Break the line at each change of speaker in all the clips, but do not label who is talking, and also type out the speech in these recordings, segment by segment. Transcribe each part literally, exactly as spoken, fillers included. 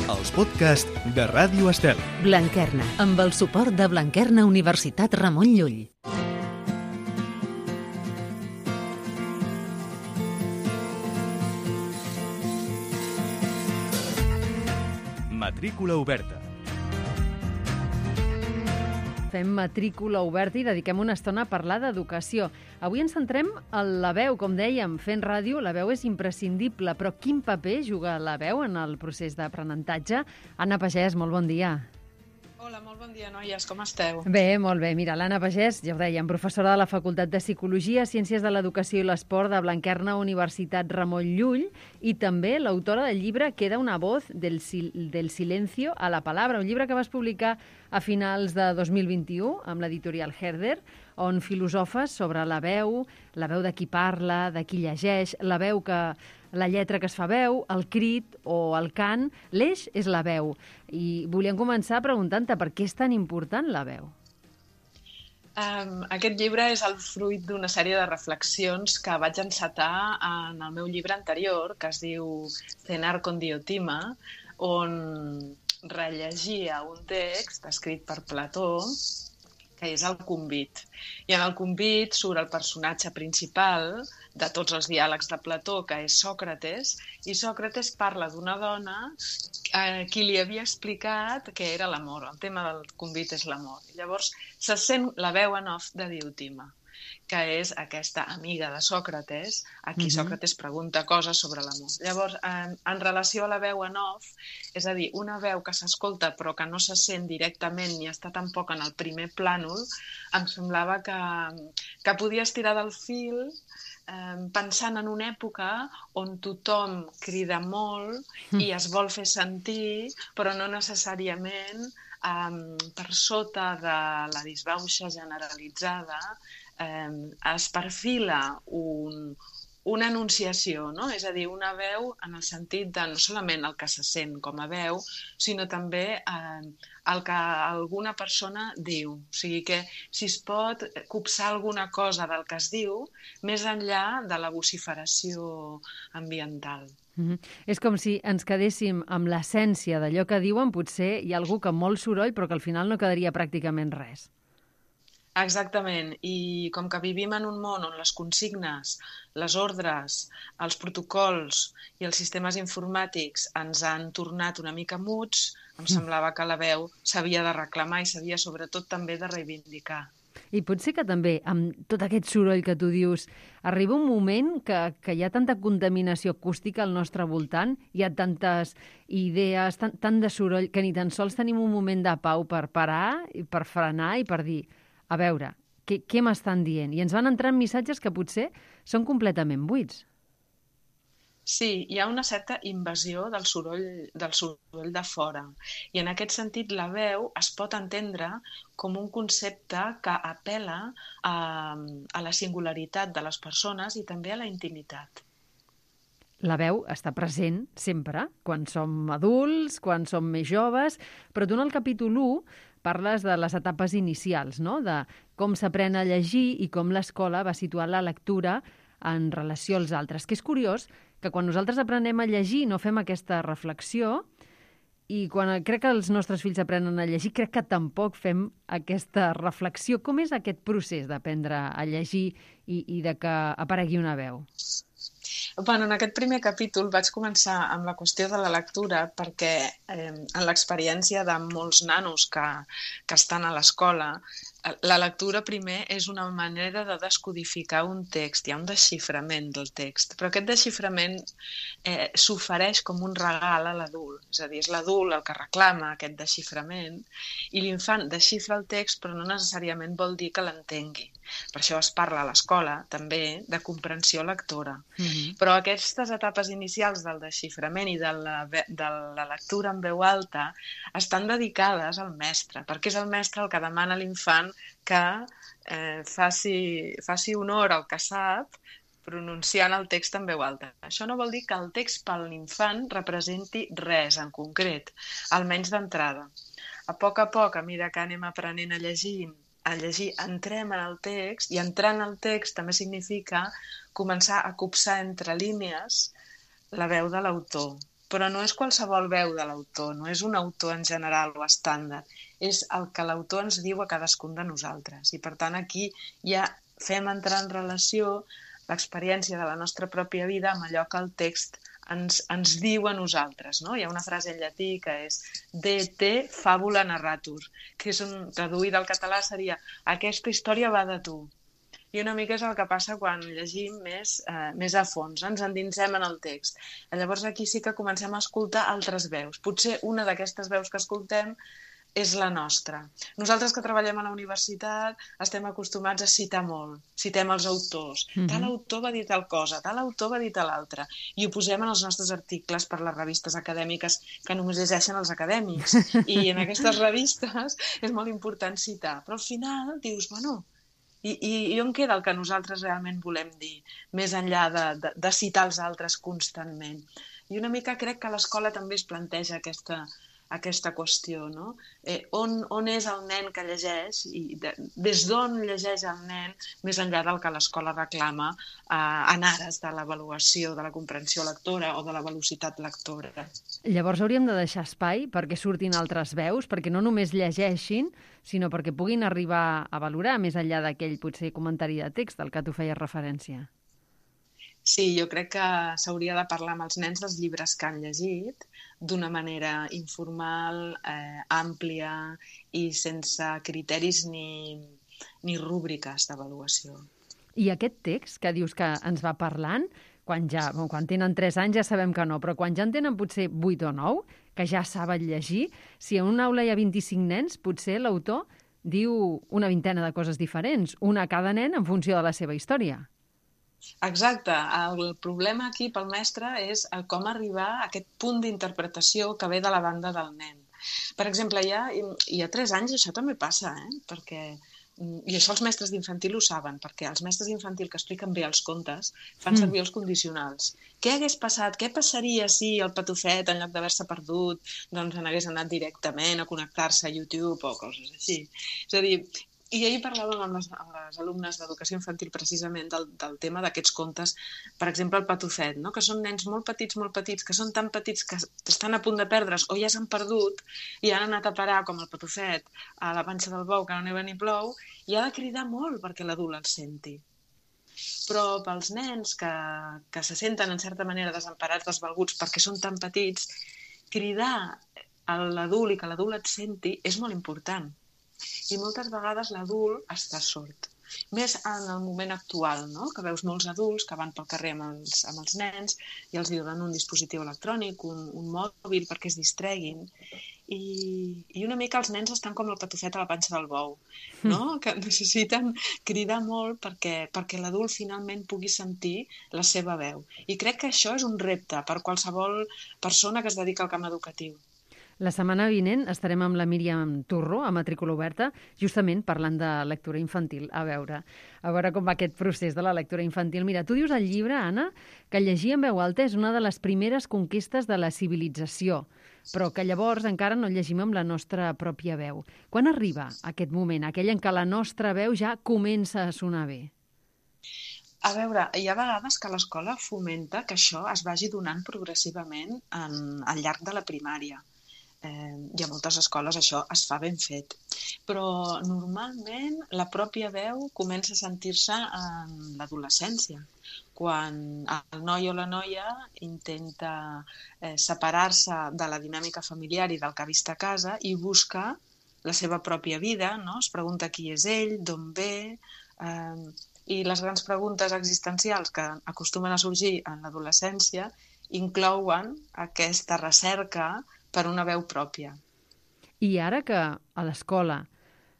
els podcasts de Ràdio Estel.
Blanquerna, amb el suport de Blanquerna Universitat Ramon Llull.
Matrícula oberta.
Fem matrícula oberta i dediquem una estona a parlar d'educació. Avui ens centrem en la veu. Com dèiem, fent ràdio, la veu és imprescindible, però quin paper juga la veu en el procés d'aprenentatge? Anna Pagès, molt bon dia.
Hola, molt bon dia, noies. Com esteu?
Bé, molt bé. Mira, l'Anna Pagès, ja ho dèiem, professora de la Facultat de Psicologia, Ciències de l'Educació i l'Esport de Blanquerna Universitat Ramon Llull i també l'autora del llibre Queda una voz del, sil del silencio a la palabra, un llibre que vas publicar a finals de dos mil vint-i-u amb l'editorial Herder, on filosofes sobre la veu, la veu de qui parla, de qui llegeix, la veu que... la lletra que es fa veu, el crit o el cant, l'eix és la veu. I volíem començar preguntant-te per què és tan important la veu.
Um, aquest llibre és el fruit d'una sèrie de reflexions que vaig encetar en el meu llibre anterior, que es diu Cenar con Diotima, on rellegia un text escrit per Plató, que és el Convit. I en el Convit surt el personatge principal de tots els diàlegs de Plató, que és Sòcrates, i Sòcrates parla d'una dona a qui li havia explicat què era l'amor. El tema del Convit és l'amor. Llavors se sent la veu en off de Diotima, que és aquesta amiga de Sòcrates, a qui Sòcrates pregunta coses sobre l'amor. Llavors, en, en relació a la veu en off, és a dir, una veu que s'escolta però que no se sent directament ni està tampoc en el primer plànol, em semblava que, que podia estirar del fil eh, pensant en una època on tothom crida molt i es vol fer sentir, però no necessàriament eh, per sota de la disbauxa generalitzada Eh, es perfila un, una enunciació, no? És a dir, una veu en el sentit de no solament el que se sent com a veu, sinó també eh, el que alguna persona diu. O sigui que si es pot copsar alguna cosa del que es diu, més enllà de la vociferació ambiental.
Mm-hmm. És com si ens quedéssim amb l'essència d'allò que diuen, potser hi ha algú que amb molt soroll, però que al final no quedaria pràcticament res.
Exactament, i com que vivim en un món on les consignes, les ordres, els protocols i els sistemes informàtics ens han tornat una mica muts, em semblava que la veu s'havia de reclamar i s'havia sobretot també de reivindicar.
I potser que també, amb tot aquest soroll que tu dius, arriba un moment que, que hi ha tanta contaminació acústica al nostre voltant, hi ha tantes idees, tant, tant de soroll, que ni tan sols tenim un moment de pau per parar, i per frenar i per dir a veure, què, què m'estan dient? I ens van entrant missatges que potser són completament buits.
Sí, hi ha una certa invasió del soroll, del soroll de fora. I en aquest sentit la veu es pot entendre com un concepte que apel·la a, a la singularitat de les persones i també a la intimitat.
La veu està present sempre, quan som adults, quan som més joves, però tu en el capítol u parles de les etapes inicials, no? De com s'aprèn a llegir i com l'escola va situar la lectura en relació als altres. Que és curiós que quan nosaltres aprenem a llegir no fem aquesta reflexió i quan crec que els nostres fills aprenen a llegir crec que tampoc fem aquesta reflexió. Com és aquest procés d'aprendre a llegir i, i de que aparegui una veu?
Bueno, en aquest primer capítol vaig començar amb la qüestió de la lectura perquè eh, en l'experiència de molts nanos que, que estan a l'escola, la lectura primer és una manera de descodificar un text, hi ha un desxiframent del text, però aquest desxiframent eh, s'ofereix com un regal a l'adult, és a dir, és l'adult el que reclama aquest desxiframent i l'infant desxifra el text però no necessàriament vol dir que l'entengui. Per això es parla a l'escola també de comprensió lectora. Mm-hmm. Però aquestes etapes inicials del desxiframent i de la, de la lectura en veu alta estan dedicades al mestre, perquè és el mestre el que demana a l'infant que eh, faci, faci honor al que sap pronunciant el text en veu alta. Això no vol dir que el text per l'infant representi res en concret, almenys d'entrada. A poc a poc, a mesura que anem aprenent a llegir, a llegir, entrem en el text, i entrar en el text també significa començar a copsar entre línies la veu de l'autor. però no és qualsevol veu de l'autor, no és un autor en general o estàndard, és el que l'autor ens diu a cadascun de nosaltres. I per tant aquí ja fem entrar en relació l'experiència de la nostra pròpia vida amb allò que el text ens, ens diu a nosaltres. No? Hi ha una frase en llatí que és de te fabula narratur, que és un, traduïda al català seria aquesta història va de tu. I una mica és el que passa quan llegim més, eh, més a fons, ens endinsem en el text. Llavors aquí sí que comencem a escoltar altres veus. Potser una d'aquestes veus que escoltem és la nostra. Nosaltres que treballem a la universitat estem acostumats a citar molt, citem els autors. Mm-hmm. Tal autor va dir tal cosa, tal autor va dir tal altra. I ho posem en els nostres articles per les revistes acadèmiques que només llegeixen els acadèmics. I en aquestes revistes és molt important citar. Però al final dius, bueno, i, i, i on queda el que nosaltres realment volem dir, més enllà de, de, de citar els altres constantment? I una mica crec que a l'escola també es planteja aquesta aquesta qüestió, no? Eh, on, on és el nen que llegeix i de, des d'on llegeix el nen més enllà del que l'escola reclama eh, en ares de l'avaluació, de la comprensió lectora o de la velocitat lectora.
Llavors hauríem de deixar espai perquè surtin altres veus, perquè no només llegeixin, sinó perquè puguin arribar a valorar més enllà d'aquell potser comentari de text al que tu feies referència.
Sí, jo crec que s'hauria de parlar amb els nens dels llibres que han llegit d'una manera informal, eh, àmplia i sense criteris ni, ni rúbriques d'avaluació.
I aquest text que dius que ens va parlant, quan, ja, bon, quan tenen tres anys ja sabem que no, però quan ja en tenen potser vuit o nou, que ja saben llegir, si en una aula hi ha vint-i-cinc nens, potser l'autor diu una vintena de coses diferents, una a cada nen en funció de la seva història.
Exacte. El problema aquí pel mestre és com arribar a aquest punt d'interpretació que ve de la banda del nen. Per exemple, ja, i a tres anys això també passa, eh? Perquè, i això els mestres d'infantil ho saben, perquè els mestres d'infantil que expliquen bé els contes fan mm. servir els condicionals. Què hagués passat? Què passaria si el patufet, en lloc d'haver-se perdut, doncs n'hagués anat directament a connectar-se a YouTube o coses així? És a dir, i ahir parlàvem amb les, amb les alumnes d'educació infantil precisament del, del tema d'aquests contes, per exemple el patufet, no? Que són nens molt petits, molt petits, que són tan petits que estan a punt de perdre's o ja s'han perdut i han anat a parar com el patufet a la panxa del bou que no neva ni plou i ha de cridar molt perquè l'adult el senti. Però pels nens que, que se senten en certa manera desemparats, desvalguts perquè són tan petits, cridar a l'adult i que l'adult et senti és molt important. I moltes vegades l'adult està sord. Més en el moment actual, no? Que veus molts adults que van pel carrer amb els, amb els nens i els donen un dispositiu electrònic, un, un mòbil perquè es distreguin. I, I una mica els nens estan com el patufet a la panxa del bou, no? Que necessiten cridar molt perquè, perquè l'adult finalment pugui sentir la seva veu. I crec que això és un repte per qualsevol persona que es dedica al camp educatiu.
La setmana vinent estarem amb la Míriam Turro, a Matrícula Oberta, justament parlant de lectura infantil. A veure, a veure com va aquest procés de la lectura infantil. Mira, tu dius al llibre, Anna, que llegir en veu alta és una de les primeres conquestes de la civilització, però que llavors encara no llegim amb la nostra pròpia veu. Quan arriba aquest moment, aquell en què la nostra veu ja comença a sonar bé?
A veure, hi ha vegades que l'escola fomenta que això es vagi donant progressivament en, al llarg de la primària. Eh, i a moltes escoles això es fa ben fet. Però normalment la pròpia veu comença a sentir-se en l'adolescència, quan el noi o la noia intenta eh, separar-se de la dinàmica familiar i del que ha vist a casa i busca la seva pròpia vida, no? Es pregunta qui és ell, d'on ve, eh, i les grans preguntes existencials que acostumen a sorgir en l'adolescència inclouen aquesta recerca per una veu pròpia.
I ara que a l'escola,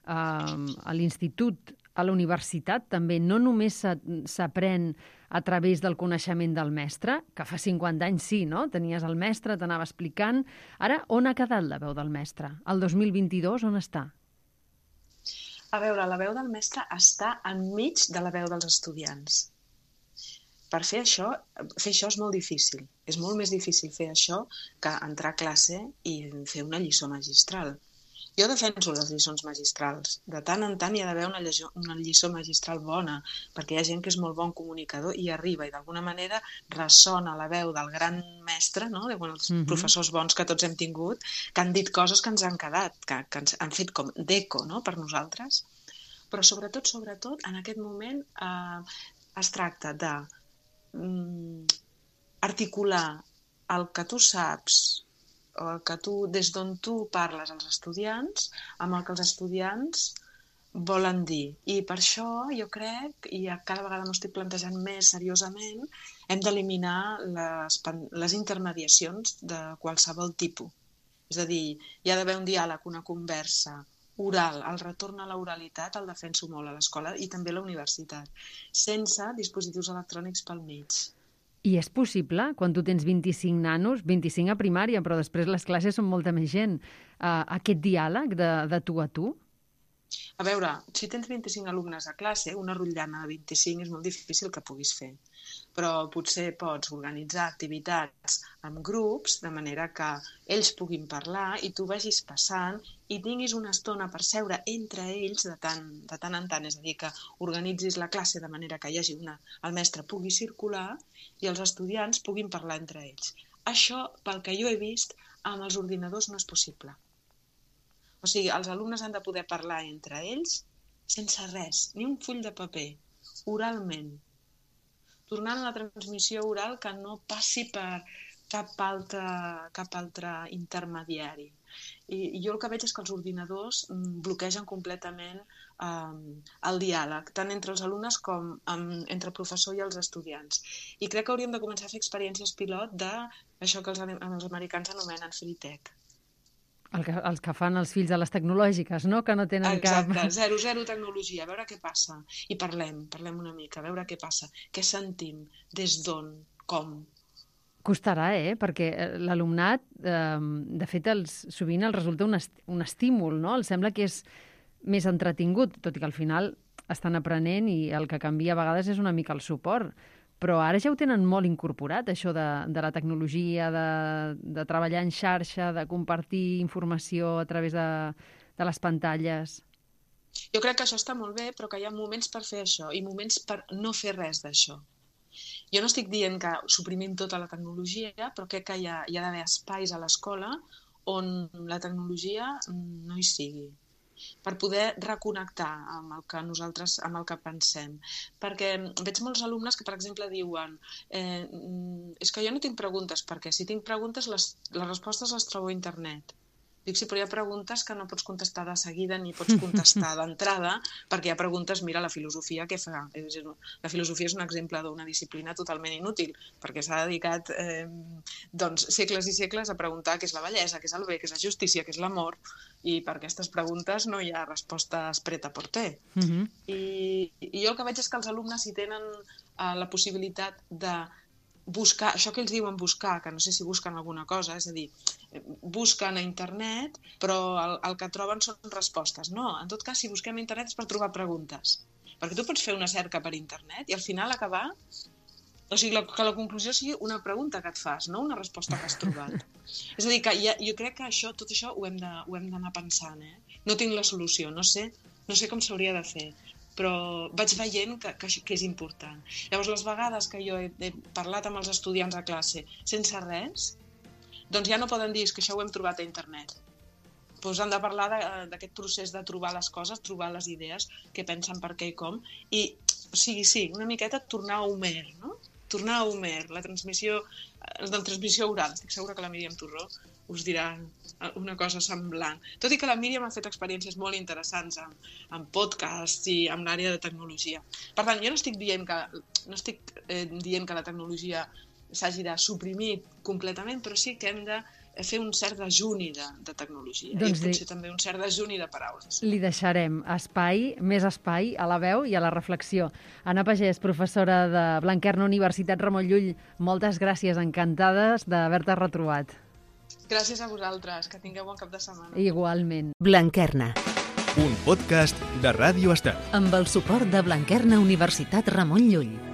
a l'institut, a la universitat també no només s'aprèn a través del coneixement del mestre, que fa cinquanta anys sí, no? Tenies el mestre, t'anava explicant. Ara, on ha quedat la veu del mestre? El dos mil vint-i-dos, on està?
A veure, la veu del mestre està enmig de la veu dels estudiants. Per fer això, fer això és molt difícil. És molt més difícil fer això que entrar a classe i fer una lliçó magistral. Jo defenso les lliçons magistrals. De tant en tant hi ha d'haver una, lliçó, una lliçó magistral bona, perquè hi ha gent que és molt bon comunicador i arriba i d'alguna manera ressona la veu del gran mestre, no? de bueno, els mm-hmm. professors bons que tots hem tingut, que han dit coses que ens han quedat, que, que ens han fet com d'eco, no? per nosaltres. Però sobretot, sobretot, en aquest moment eh, es tracta de mm, articular el que tu saps, o el que tu, des d'on tu parles als estudiants, amb el que els estudiants volen dir. I per això jo crec, i cada vegada m'ho estic plantejant més seriosament, hem d'eliminar les, les intermediacions de qualsevol tipus. És a dir, hi ha d'haver un diàleg, una conversa oral, el retorn a l'oralitat el defenso molt a l'escola i també a la universitat, sense dispositius electrònics pel mig.
I és possible, quan tu tens vint-i-cinc nanos, vint-i-cinc a primària, però després les classes són molta més gent, uh, aquest diàleg de, de tu a tu?
A veure, si tens vint-i-cinc alumnes a classe, una rotllana de vint-i-cinc és molt difícil que puguis fer. Però potser pots organitzar activitats amb grups, de manera que ells puguin parlar i tu vagis passant i tinguis una estona per seure entre ells de tant, de tant en tant. És a dir, que organitzis la classe de manera que hi hagi una, el mestre pugui circular i els estudiants puguin parlar entre ells. Això, pel que jo he vist, amb els ordinadors no és possible. O sigui, els alumnes han de poder parlar entre ells sense res, ni un full de paper, oralment. Tornant a la transmissió oral que no passi per cap altre, cap altre intermediari. I, I jo el que veig és que els ordinadors bloquegen completament eh, el diàleg, tant entre els alumnes com amb, entre el professor i els estudiants. I crec que hauríem de començar a fer experiències pilot d'això que els, els americans anomenen free tech.
El que, els que fan els fills de les tecnològiques, no? Que no tenen
Exacte,
cap...
zero, zero tecnologia, a veure què passa. I parlem, parlem una mica, a veure què passa. Què sentim, des d'on, com.
Costarà, eh? Perquè l'alumnat, eh, de fet, els, sovint els resulta un, est un estímul, no? Els sembla que és més entretingut, tot i que al final estan aprenent i el que canvia a vegades és una mica el suport. Però ara ja ho tenen molt incorporat, això de, de la tecnologia, de, de treballar en xarxa, de compartir informació a través de, de les pantalles.
Jo crec que això està molt bé, però que hi ha moments per fer això i moments per no fer res d'això. Jo no estic dient que suprimim tota la tecnologia, però crec que hi ha, hi ha d'haver espais a l'escola on la tecnologia no hi sigui, per poder reconnectar amb el que nosaltres, amb el que pensem. Perquè veig molts alumnes que, per exemple, diuen eh, és que jo no tinc preguntes, perquè si tinc preguntes les, les respostes les trobo a internet. Dic, sí, però hi ha preguntes que no pots contestar de seguida ni pots contestar d'entrada, perquè hi ha preguntes, mira, la filosofia què fa? La filosofia és un exemple d'una disciplina totalment inútil, perquè s'ha dedicat eh, doncs, segles i segles a preguntar què és la bellesa, què és el bé, què és la justícia, què és l'amor, i per aquestes preguntes no hi ha respostes preta por té. Uh-huh. I, I jo el que veig és que els alumnes, si tenen eh, la possibilitat de buscar, això que ells diuen buscar, que no sé si busquen alguna cosa, és a dir, busquen a internet, però el, el que troben són respostes. No, en tot cas, si busquem a internet és per trobar preguntes. Perquè tu pots fer una cerca per internet i al final acabar... O sigui, la, que la conclusió sigui una pregunta que et fas, no una resposta que has trobat. És a dir, que ja, jo crec que això, tot això ho hem de, ho hem d'anar pensant. Eh? No tinc la solució, no sé, no sé com s'hauria de fer, però vaig veient que, que, que és important. Llavors, les vegades que jo he, he parlat amb els estudiants a classe sense res, doncs ja no poden dir que això ho hem trobat a internet. Doncs han de parlar d'aquest procés de trobar les coses, trobar les idees, què pensen, per què i com, i, o sigui, sí, una miqueta tornar a Homer, no? Tornar a Homer, la transmissió, la transmissió oral. Estic segura que la Míriam Torró us dirà una cosa semblant. Tot i que la Míriam ha fet experiències molt interessants amb, amb podcasts i amb l'àrea de tecnologia. Per tant, jo no estic dient que, no estic, eh, dient que la tecnologia s'hagi de suprimir completament, però sí que hem de fer un cert dejuni de, de tecnologia. Doncs I potser li... també un cert dejuni de paraules.
Li deixarem espai, més espai a la veu i a la reflexió. Anna Pagès, professora de Blanquerna, Universitat Ramon Llull, moltes gràcies, encantades d'haver-te retrobat.
Gràcies a vosaltres, que tingueu bon cap de setmana.
Igualment.
Blanquerna.
Un podcast de Ràdio Estel.
Amb el suport de Blanquerna, Universitat Ramon Llull.